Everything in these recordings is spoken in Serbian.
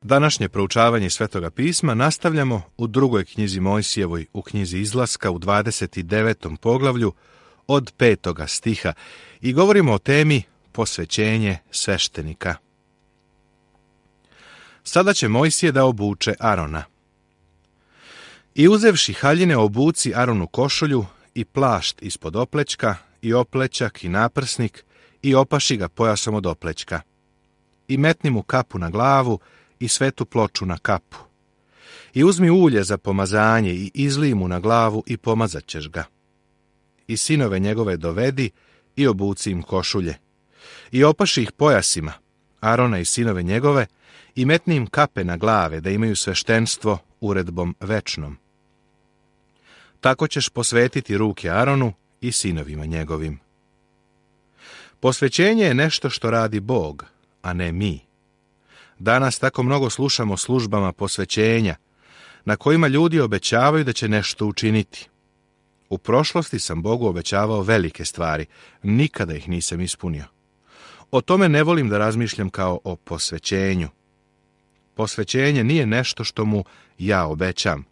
Današnje proučavanje Svetoga pisma nastavljamo u drugoj knjizi Mojsijevoj, u knjizi Izlaska u 29. poglavlju od 5. stiha i govorimo o temi posvećenje sveštenika. Sada će Mojsije da obuče Arona. I uzevši haljine obuci Aronu košulju i plašt ispod oplećka i oplećak i naprsnik i opaši ga pojasom od oplećka. I metni mu kapu na glavu i svetu ploču na kapu. I uzmi ulje za pomazanje i izlij mu na glavu i pomazat ćeš ga. I sinove njegove dovedi i obuci im košulje. I opaši ih pojasima, Arona i sinove njegove, i metni im kape na glave, da imaju sveštenstvo uredbom večnom. Tako ćeš posvetiti ruke Aronu i sinovima njegovim. Posvećenje je nešto što radi Bog, a ne mi. Danas tako mnogo slušamo o službama posvećenja, na kojima ljudi obećavaju da će nešto učiniti. U prošlosti sam Bogu obećavao velike stvari, nikada ih nisam ispunio. O tome ne volim da razmišljam kao o posvećenju. Posvećenje nije nešto što mu ja obećam.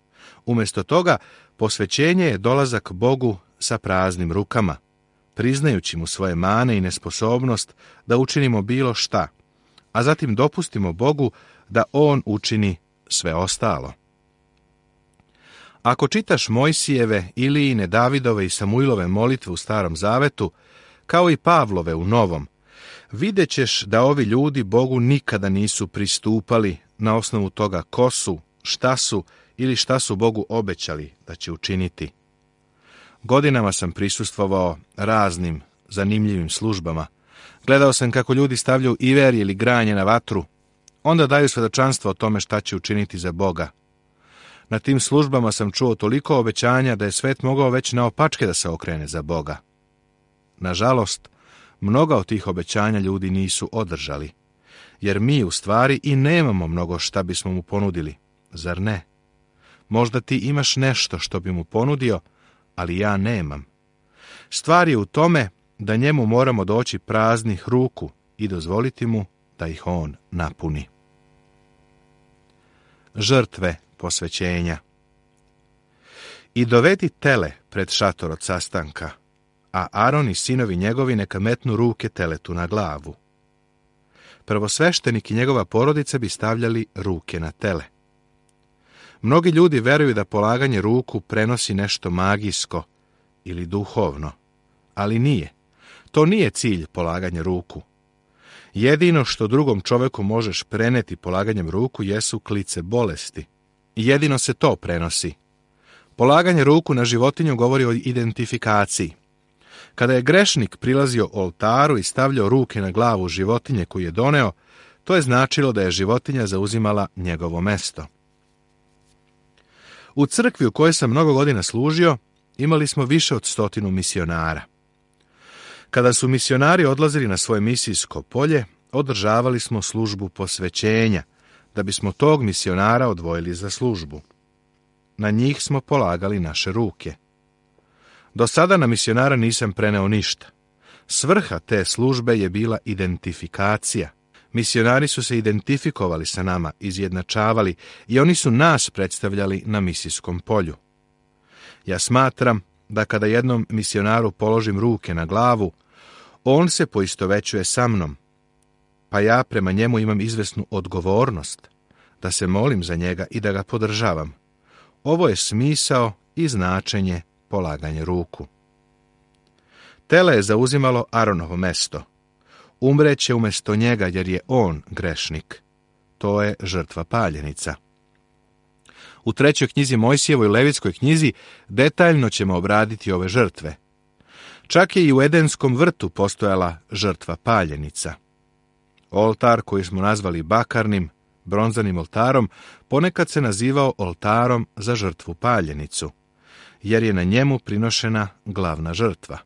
Umjesto toga, posvećenje je dolazak Bogu sa praznim rukama, priznajući mu svoje mane i nesposobnost da učinimo bilo šta, a zatim dopustimo Bogu da On učini sve ostalo. Ako čitaš Mojsijeve, Ilijine, Davidove i Samuilove molitve u Starom Zavetu, kao i Pavlove u Novom, vidjet ćeš da ovi ljudi Bogu nikada nisu pristupali na osnovu toga ko su, šta su ili šta su Bogu obećali da će učiniti. Godinama sam prisustvovao raznim zanimljivim službama. Gledao sam kako ljudi stavljaju iverje ili granje na vatru, onda daju svedočanstvo o tome šta će učiniti za Boga. Na tim službama sam čuo toliko obećanja da je svet mogao već naopačke da se okrene za Boga. Nažalost, mnoga od tih obećanja ljudi nisu održali, jer mi u stvari i nemamo mnogo šta bismo mu ponudili, zar ne? Možda ti imaš nešto što bi mu ponudio, ali ja nemam. Stvar je u tome da njemu moramo doći praznih ruku i dozvoliti mu da ih on napuni. Žrtve posvećenja. I dovedi tele pred šator od sastanka, a Aron i sinovi njegovi neka metnu ruke teletu na glavu. Prvosveštenik i njegova porodica bi stavljali ruke na tele. Mnogi ljudi veruju da polaganje ruku prenosi nešto magijsko ili duhovno, ali nije. To nije cilj polaganja ruku. Jedino što drugom čoveku možeš preneti polaganjem ruku jesu klice bolesti. Jedino se to prenosi. Polaganje ruku na životinju govori o identifikaciji. Kada je grešnik prilazio oltaru i stavljao ruke na glavu životinje koju je doneo, to je značilo da je životinja zauzimala njegovo mesto. U crkvi u kojoj sam mnogo godina služio, imali smo više od 100 misionara. Kada su misionari odlazili na svoje misijsko polje, održavali smo službu posvećenja, da bismo tog misionara odvojili za službu. Na njih smo polagali naše ruke. Do sada na misionara nisam preneo ništa. Svrha te službe je bila identifikacija. Misionari su se identifikovali sa nama, izjednačavali i oni su nas predstavljali na misijskom polju. Ja smatram da kada jednom misionaru položim ruke na glavu, on se poistovećuje sa mnom, pa ja prema njemu imam izvesnu odgovornost, da se molim za njega i da ga podržavam. Ovo je smisao i značenje polaganja ruku. Tele je zauzimalo Aronovo mesto. Umreće umjesto njega jer je on grešnik. To je žrtva paljenica. U 3. knjizi Mojsijevoj Levitskoj knjizi detaljno ćemo obraditi ove žrtve. Čak je i u Edenskom vrtu postojala žrtva paljenica. Oltar koji smo nazvali bakarnim, bronzanim oltarom, ponekad se nazivao oltarom za žrtvu paljenicu, jer je na njemu prinošena glavna žrtva.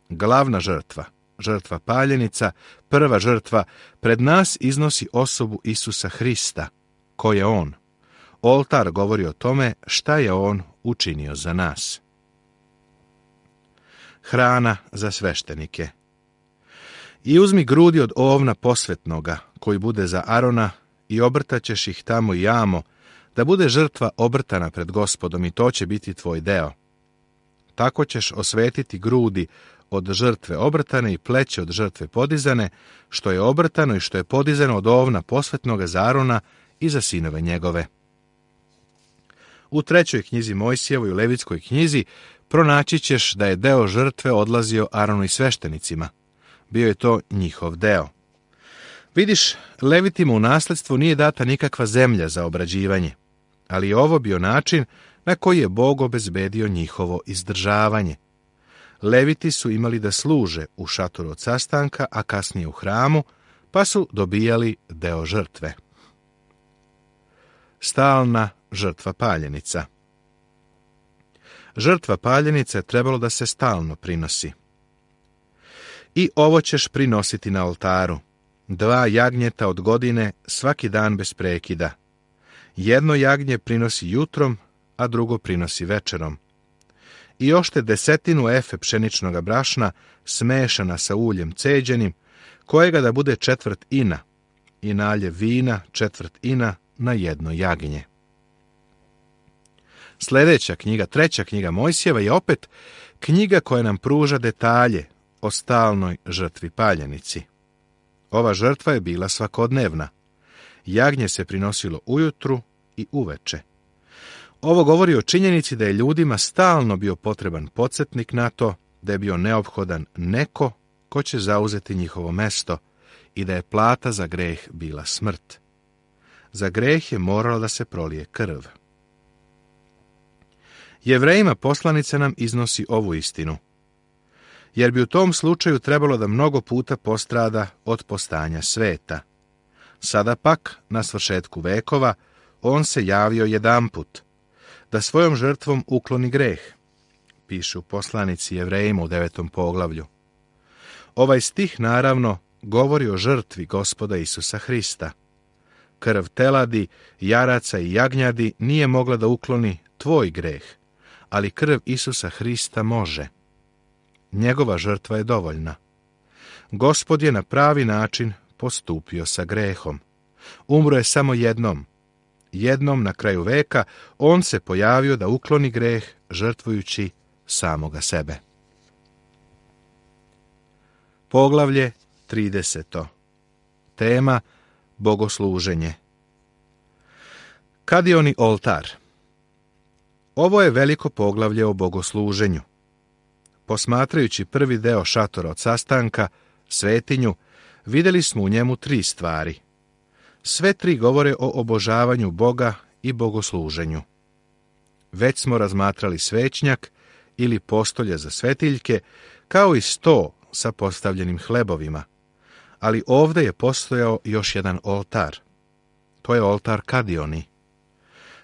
Glavna žrtva, žrtva paljenica, prva žrtva, pred nas iznosi osobu Isusa Hrista. Ko je on? Oltar govori o tome šta je on učinio za nas. Hrana za sveštenike. I uzmi grudi od ovna posvetnoga, koji bude za Arona i obrtaćeš ih tamo i amo, da bude žrtva obrtana pred Gospodom i to će biti tvoj deo. Tako ćeš osvetiti grudi od žrtve obrtane i pleće od žrtve podizane, što je obrtano i što je podizano od ovna posvetnoga za Arona i za sinove njegove. U 3. knjizi Mojsijevoj, u Levitskoj knjizi, pronaći ćeš da je deo žrtve odlazio Aronu i sveštenicima. Bio je to njihov deo. Vidiš, Levitima u nasledstvo nije data nikakva zemlja za obrađivanje, ali je ovo bio način na koji je Bog obezbedio njihovo izdržavanje. Leviti su imali da služe u šatoru od sastanka, a kasnije u hramu, pa su dobijali deo žrtve. Stalna žrtva paljenica. Žrtva paljenica je trebalo da se stalno prinosi. I ovo ćeš prinositi na oltaru. 2 jagnjeta od godine svaki dan bez prekida. Jedno jagnje prinosi jutrom, a drugo prinosi večerom. I ošte 10 efe pšeničnog brašna smešana sa uljem ceđenim, kojega da bude 1/4 ina, i naljev vina 1/4 ina na jedno jagnje. Sljedeća knjiga, 3. knjiga Mojsijeva, je opet knjiga koja nam pruža detalje o stalnoj žrtvi paljenici. Ova žrtva je bila svakodnevna. Jagnje se prinosilo ujutru i uveče. Ovo govori o činjenici da je ljudima stalno bio potreban podsjetnik na to, da je bio neophodan neko ko će zauzeti njihovo mesto i da je plata za greh bila smrt. Za greh je moralo da se prolije krv. Jevrejima poslanica nam iznosi ovu istinu, jer bi u tom slučaju trebalo da mnogo puta postrada od postanja sveta. Sada pak, na svršetku vekova, on se javio jedanput, da svojom žrtvom ukloni greh, piše u poslanici Jevrejima u 9. poglavlju. Ovaj stih, naravno, govori o žrtvi Gospoda Isusa Hrista. Krv teladi, jaraca i jagnjadi nije mogla da ukloni tvoj greh, ali krv Isusa Hrista može. Njegova žrtva je dovoljna. Gospod je na pravi način postupio sa grehom. Umro je samo jednom. Jednom na kraju veka on se pojavio da ukloni greh, žrtvujući samoga sebe. Poglavlje 30. Tema bogosluženje. Kadioni oltar. Ovo je veliko poglavlje o bogosluženju. Posmatrajući prvi deo šatora od sastanka, svetinju, vidjeli smo u njemu 3 stvari. Sve 3 govore o obožavanju Boga i bogosluženju. Već smo razmatrali svećnjak ili postolje za svetiljke, kao i sto sa postavljenim hlebovima, ali ovdje je postojao još jedan oltar. To je oltar Kadioni.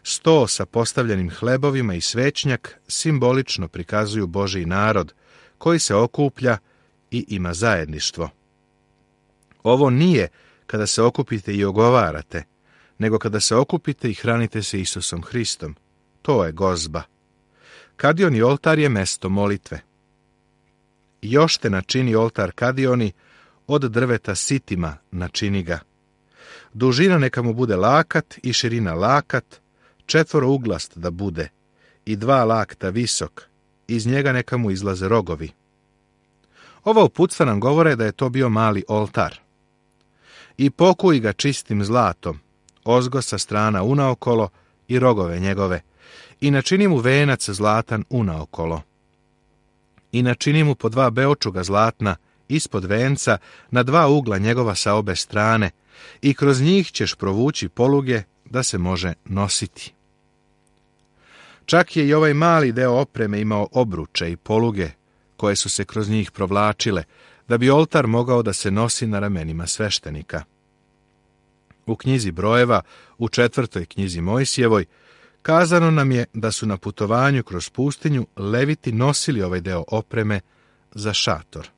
Sto sa postavljenim hlebovima i svećnjak simbolično prikazuju Božji narod, koji se okuplja i ima zajedništvo. Ovo nije kada se okupite i ogovarate, nego kada se okupite i hranite se Isusom Hristom. To je gozba. Kadioni oltar je mesto molitve. Još te načini oltar Kadioni, od drveta sitima načini ga. Dužina neka mu bude lakat i širina lakat, 4 da bude i 2 lakta visok, iz njega neka mu izlaze rogovi. Ova uputstva nam govore da je to bio mali oltar. I pokuj ga čistim zlatom, ozgo sa strana unaokolo i rogove njegove, i načini mu venac zlatan unaokolo. I načini mu po 2 beočuga zlatna ispod venca na 2 ugla njegova sa obe strane, i kroz njih ćeš provući poluge da se može nositi. Čak je i ovaj mali deo opreme imao obruče i poluge, koje su se kroz njih provlačile, da bi oltar mogao da se nosi na ramenima sveštenika. U knjizi Brojeva, u 4. knjizi Mojsijevoj, kazano nam je da su na putovanju kroz pustinju Leviti nosili ovaj deo opreme za šator.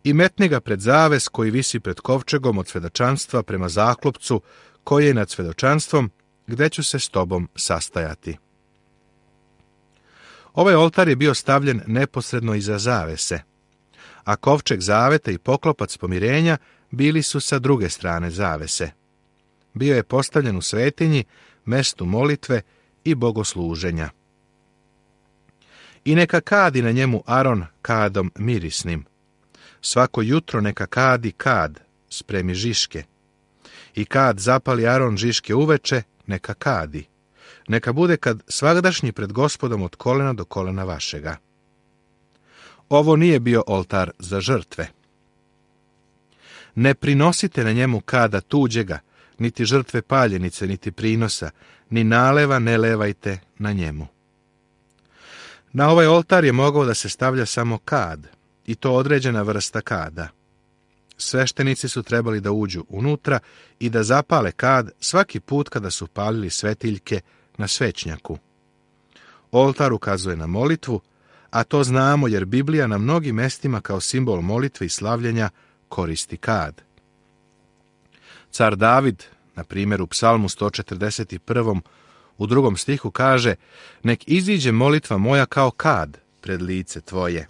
I metni ga pred zaves koji visi pred kovčegom od svedočanstva prema zaklopcu koji je nad svedočanstvom, gde ću se s tobom sastajati. Ovaj oltar je bio stavljen neposredno iza zavese, a kovčeg zaveta i poklopac pomirenja bili su sa druge strane zavese, bio je postavljen u svetinji, mestu molitve i bogosluženja. I neka kadi na njemu Aron kadom mirisnim. Svako jutro neka kadi kad, spremi žiške. I kad zapali Aron žiške uveče, neka kadi. Neka bude kad svagdašnji pred Gospodom od kolena do kolena vašega. Ovo nije bio oltar za žrtve. Ne prinosite na njemu kada tuđega, niti žrtve paljenice, niti prinosa, ni naleva ne levajte na njemu. Na ovaj oltar je mogao da se stavlja samo kad, i to određena vrsta kada. Sveštenici su trebali da uđu unutra i da zapale kad svaki put kada su palili svetiljke na svećnjaku. Oltar ukazuje na molitvu, a to znamo jer Biblija na mnogim mestima kao simbol molitve i slavljenja koristi kad. Car David, na primjer u Psalmu 141. u 2. stihu kaže: nek iziđe molitva moja kao kad pred lice tvoje.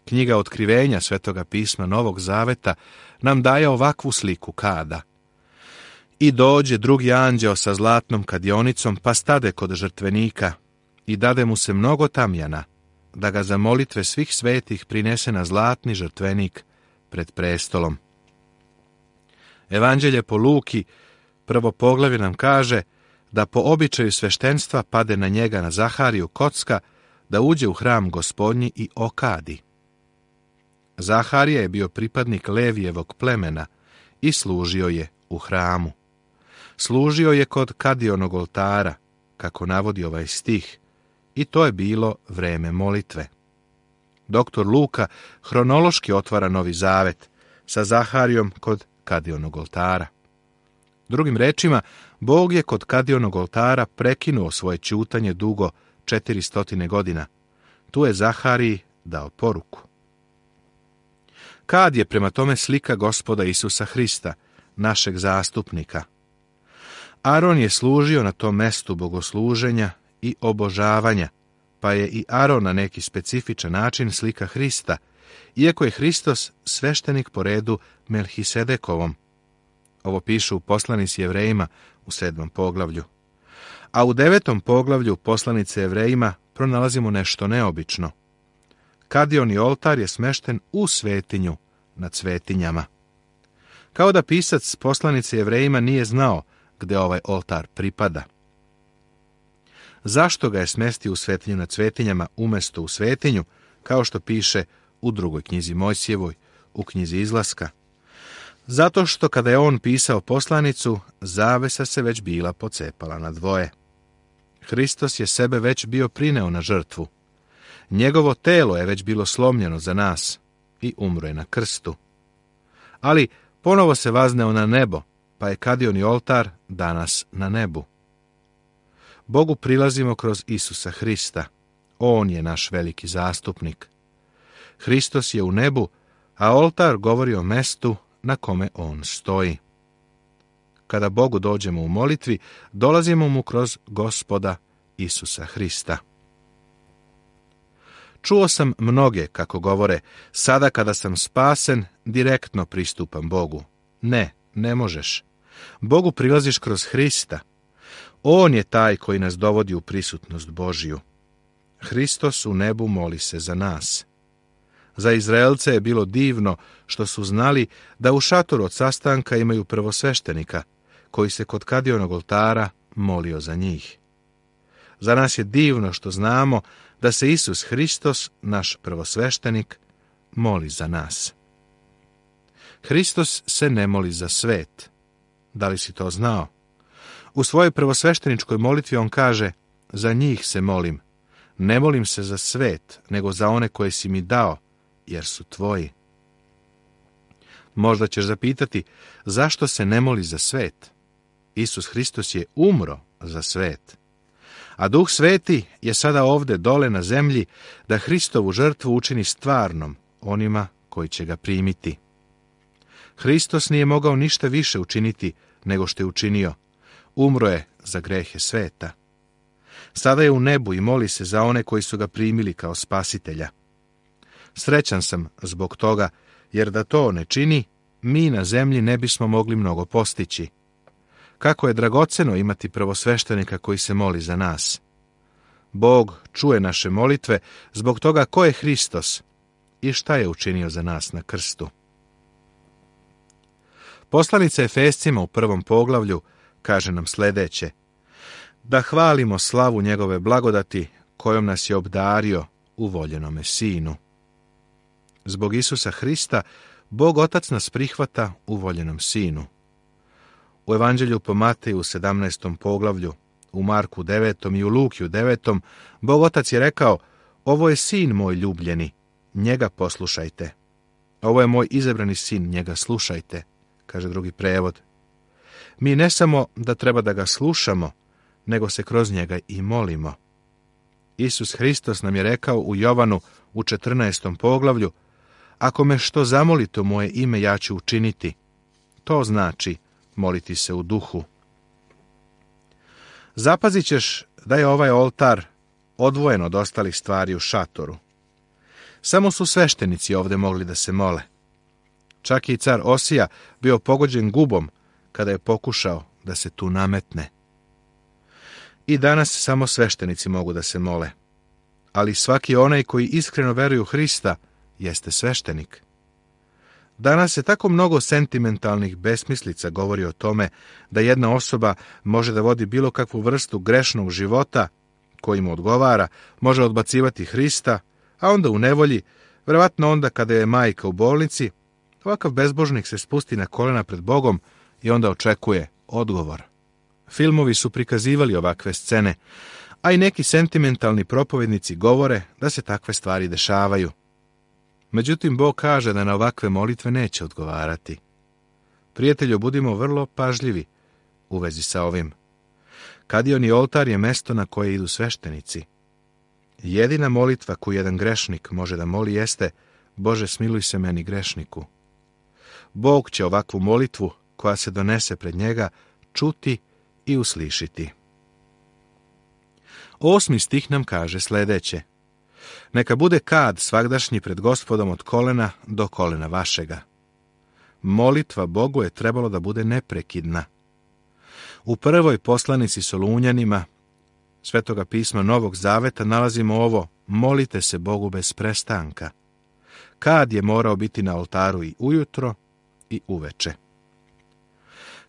Knjiga Otkrivenja Svetoga pisma Novog Zaveta nam daje ovakvu sliku kada. I dođe drugi anđeo sa zlatnom kadionicom, pa stade kod žrtvenika i dade mu se mnogo tamjana, da ga za molitve svih svetih prinese na zlatni žrtvenik pred prestolom. Evanđelje po Luki, 1. poglavlje nam kaže da po običaju sveštenstva pade na njega, na Zahariju, kocka, da uđe u hram Gospodnji i okadi. Zaharija je bio pripadnik Levijevog plemena i služio je u hramu. Služio je kod kadionog oltara, kako navodi ovaj stih, i to je bilo vreme molitve. Doktor Luka hronološki otvara Novi Zavet sa Zaharijom kod kadionog oltara. Drugim rečima, Bog je kod kadionog oltara prekinuo svoje ćutanje dugo 400 godina. Tu je Zahariji dao poruku. Kad je prema tome slika Gospoda Isusa Hrista, našeg zastupnika. Aron je služio na tom mestu bogosluženja i obožavanja, pa je i Aron na neki specifičan način slika Hrista, iako je Hristos sveštenik po redu Melhisedekovom. Ovo piše u poslanici Jevrejima u 7. poglavlju. A u 9. poglavlju poslanice Jevrejima pronalazimo nešto neobično. Kadioni oltar je smešten u svetinju nad svetinjama. Kao da pisac poslanice Jevrejima nije znao gde ovaj oltar pripada. Zašto ga je smestio u svetinju nad svetinjama umesto u svetinju, kao što piše u 2. knjizi Mojsijevoj, u knjizi Izlaska? Zato što kada je on pisao poslanicu, zavesa se već bila pocepala na dvoje. Hristos je sebe već bio prineo na žrtvu. Njegovo telo je već bilo slomljeno za nas i umro je na krstu. Ali ponovo se vazneo na nebo, pa je kadioni oltar danas na nebu. Bogu prilazimo kroz Isusa Hrista. On je naš veliki zastupnik. Hristos je u nebu, a oltar govori o mestu na kome on stoji. Kada Bogu dođemo u molitvi, dolazimo mu kroz Gospoda Isusa Hrista. Čuo sam mnoge kako govore: sada kada sam spasen, direktno pristupam Bogu. Ne možeš. Bogu prilaziš kroz Hrista. On je taj koji nas dovodi u prisutnost Božiju. Hristos u nebu moli se za nas. Za Izraelce je bilo divno što su znali da u šatoru od sastanka imaju prvosveštenika, koji se kod kadionog oltara molio za njih. Za nas je divno što znamo da se Isus Hristos, naš prvosveštenik, moli za nas. Hristos se ne moli za svet. Da li si to znao? U svojoj prvosvešteničkoj molitvi on kaže: za njih se molim. Ne molim se za svet, nego za one koje si mi dao, jer su tvoji. Možda ćeš zapitati, zašto se ne moli za svet? Isus Hristos je umro za svet. A Duh Sveti je sada ovde dole na zemlji da Hristovu žrtvu učini stvarnom onima koji će ga primiti. Hristos nije mogao ništa više učiniti nego što je učinio. Umro je za grehe sveta. Sada je u nebu i moli se za one koji su ga primili kao spasitelja. Srećan sam zbog toga, jer da to ne čini, mi na zemlji ne bismo mogli mnogo postići. kako je dragoceno imati prvosveštenika koji se moli za nas. Bog čuje naše molitve zbog toga ko je Hristos i šta je učinio za nas na krstu. Poslanica Efescima u 1. poglavlju kaže nam sljedeće: da hvalimo slavu njegove blagodati kojom nas je obdario u voljenome Sinu. Zbog Isusa Hrista Bog Otac nas prihvata u voljenom Sinu. U Evanđelju po Mateju u 17. poglavlju, u Marku 9. i u Lukiju 9. Bog Otac je rekao: ovo je Sin moj ljubljeni, njega poslušajte. Ovo je moj izabrani sin, njega slušajte, kaže drugi prevod. Mi ne samo da treba da ga slušamo, nego se kroz njega i molimo. Isus Hristos nam je rekao u Jovanu u 14. poglavlju: ako me što zamolite u moje ime, ja ću učiniti. To znači moliti se u duhu. Zapazit ćeš da je ovaj oltar odvojen od ostalih stvari u šatoru. Samo su sveštenici ovdje mogli da se mole. Čak i car Osija bio pogođen gubom kada je pokušao da se tu nametne. I danas samo sveštenici mogu da se mole. Ali svaki onaj koji iskreno veruje u Hrista jeste sveštenik. Danas se tako mnogo sentimentalnih besmislica govori o tome da jedna osoba može da vodi bilo kakvu vrstu grešnog života koji mu odgovara, može odbacivati Hrista, a onda u nevolji, verovatno onda kada je majka u bolnici, ovakav bezbožnik se spusti na kolena pred Bogom i onda očekuje odgovor. Filmovi su prikazivali ovakve scene, a i neki sentimentalni propovednici govore da se takve stvari dešavaju. Međutim, Bog kaže da na ovakve molitve neće odgovarati. Prijatelju, budimo vrlo pažljivi u vezi sa ovim. Kadioni oltar je mesto na koje idu sveštenici. Jedina molitva koju jedan grešnik može da moli jeste: Bože, smiluj se meni grešniku. Bog će ovakvu molitvu koja se donese pred njega čuti i uslišiti. 8. stih nam kaže sljedeće: neka bude kad svagdašnji pred Gospodom od kolena do kolena vašega. Molitva Bogu je trebalo da bude neprekidna. U prvoj poslanici Solunjanima Svetoga pisma Novog Zaveta nalazimo ovo: molite se Bogu bez prestanka. Kad je morao biti na oltaru i ujutro i uveče.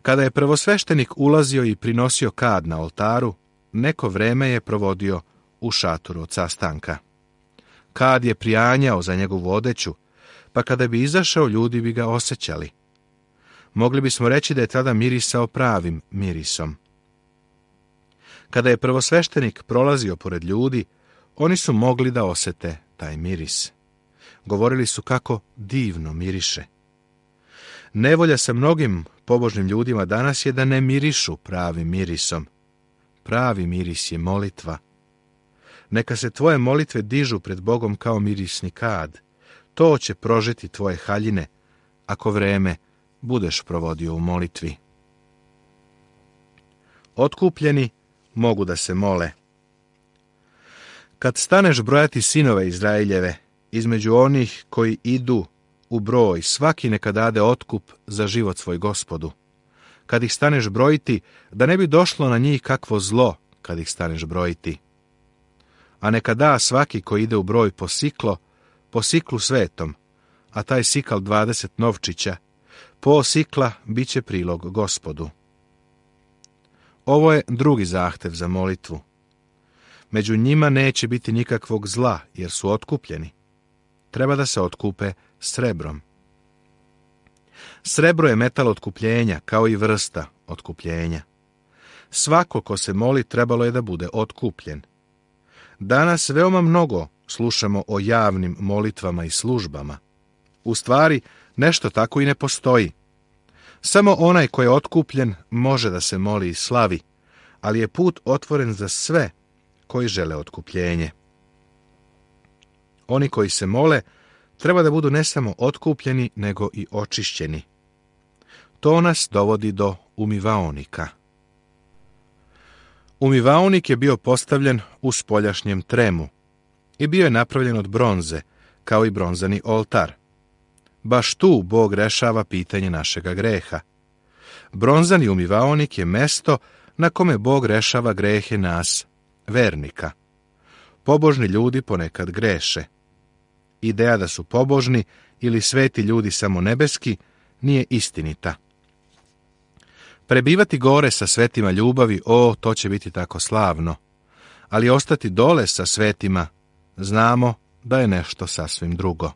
Kada je prvosveštenik ulazio i prinosio kad na oltaru, neko vreme je provodio u šatoru od sastanka. Kad je prijanjao za njegovu odeću, pa kada bi izašao, ljudi bi ga osjećali. Mogli bismo reći da je tada mirisao pravim mirisom. Kada je prvosveštenik prolazio pored ljudi, oni su mogli da osete taj miris. Govorili su kako divno miriše. Nevolja sa mnogim pobožnim ljudima danas je da ne mirišu pravim mirisom. Pravi miris je molitva. Neka se tvoje molitve dižu pred Bogom kao mirisni kad. To će prožeti tvoje haljine, ako vreme budeš provodio u molitvi. Otkupljeni mogu da se mole. Kad staneš brojati sinove Izraeljeve, između onih koji idu u broj, svaki neka dade otkup za život svoj Gospodu. Kad ih staneš brojiti, da ne bi došlo na njih kakvo zlo kad ih staneš brojiti. A neka da svaki koji ide u broj po siklu svetom, a taj sikal 20 novčića, po sikla bit će prilog Gospodu. Ovo je drugi zahtev za molitvu. Među njima neće biti nikakvog zla, jer su otkupljeni. Treba da se otkupe srebrom. Srebro je metal otkupljenja, kao i vrsta otkupljenja. Svako ko se moli trebalo je da bude otkupljen. Danas veoma mnogo slušamo o javnim molitvama i službama. U stvari, nešto tako i ne postoji. Samo onaj ko je otkupljen može da se moli i slavi, ali je put otvoren za sve koji žele otkupljenje. Oni koji se mole treba da budu ne samo otkupljeni, nego i očišćeni. To nas dovodi do umivaonika. Umivaonik je bio postavljen u spoljašnjem tremu i bio je napravljen od bronze, kao i bronzani oltar. Baš tu Bog rešava pitanje našega greha. Bronzani umivaonik je mesto na kome Bog rešava grehe nas, vernika. Pobožni ljudi ponekad greše. Ideja da su pobožni ili sveti ljudi samo nebeski nije istinita. Prebivati gore sa svetima ljubavi, to će biti tako slavno. Ali ostati dole sa svetima, znamo da je nešto sasvim drugo.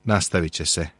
Nastavit će se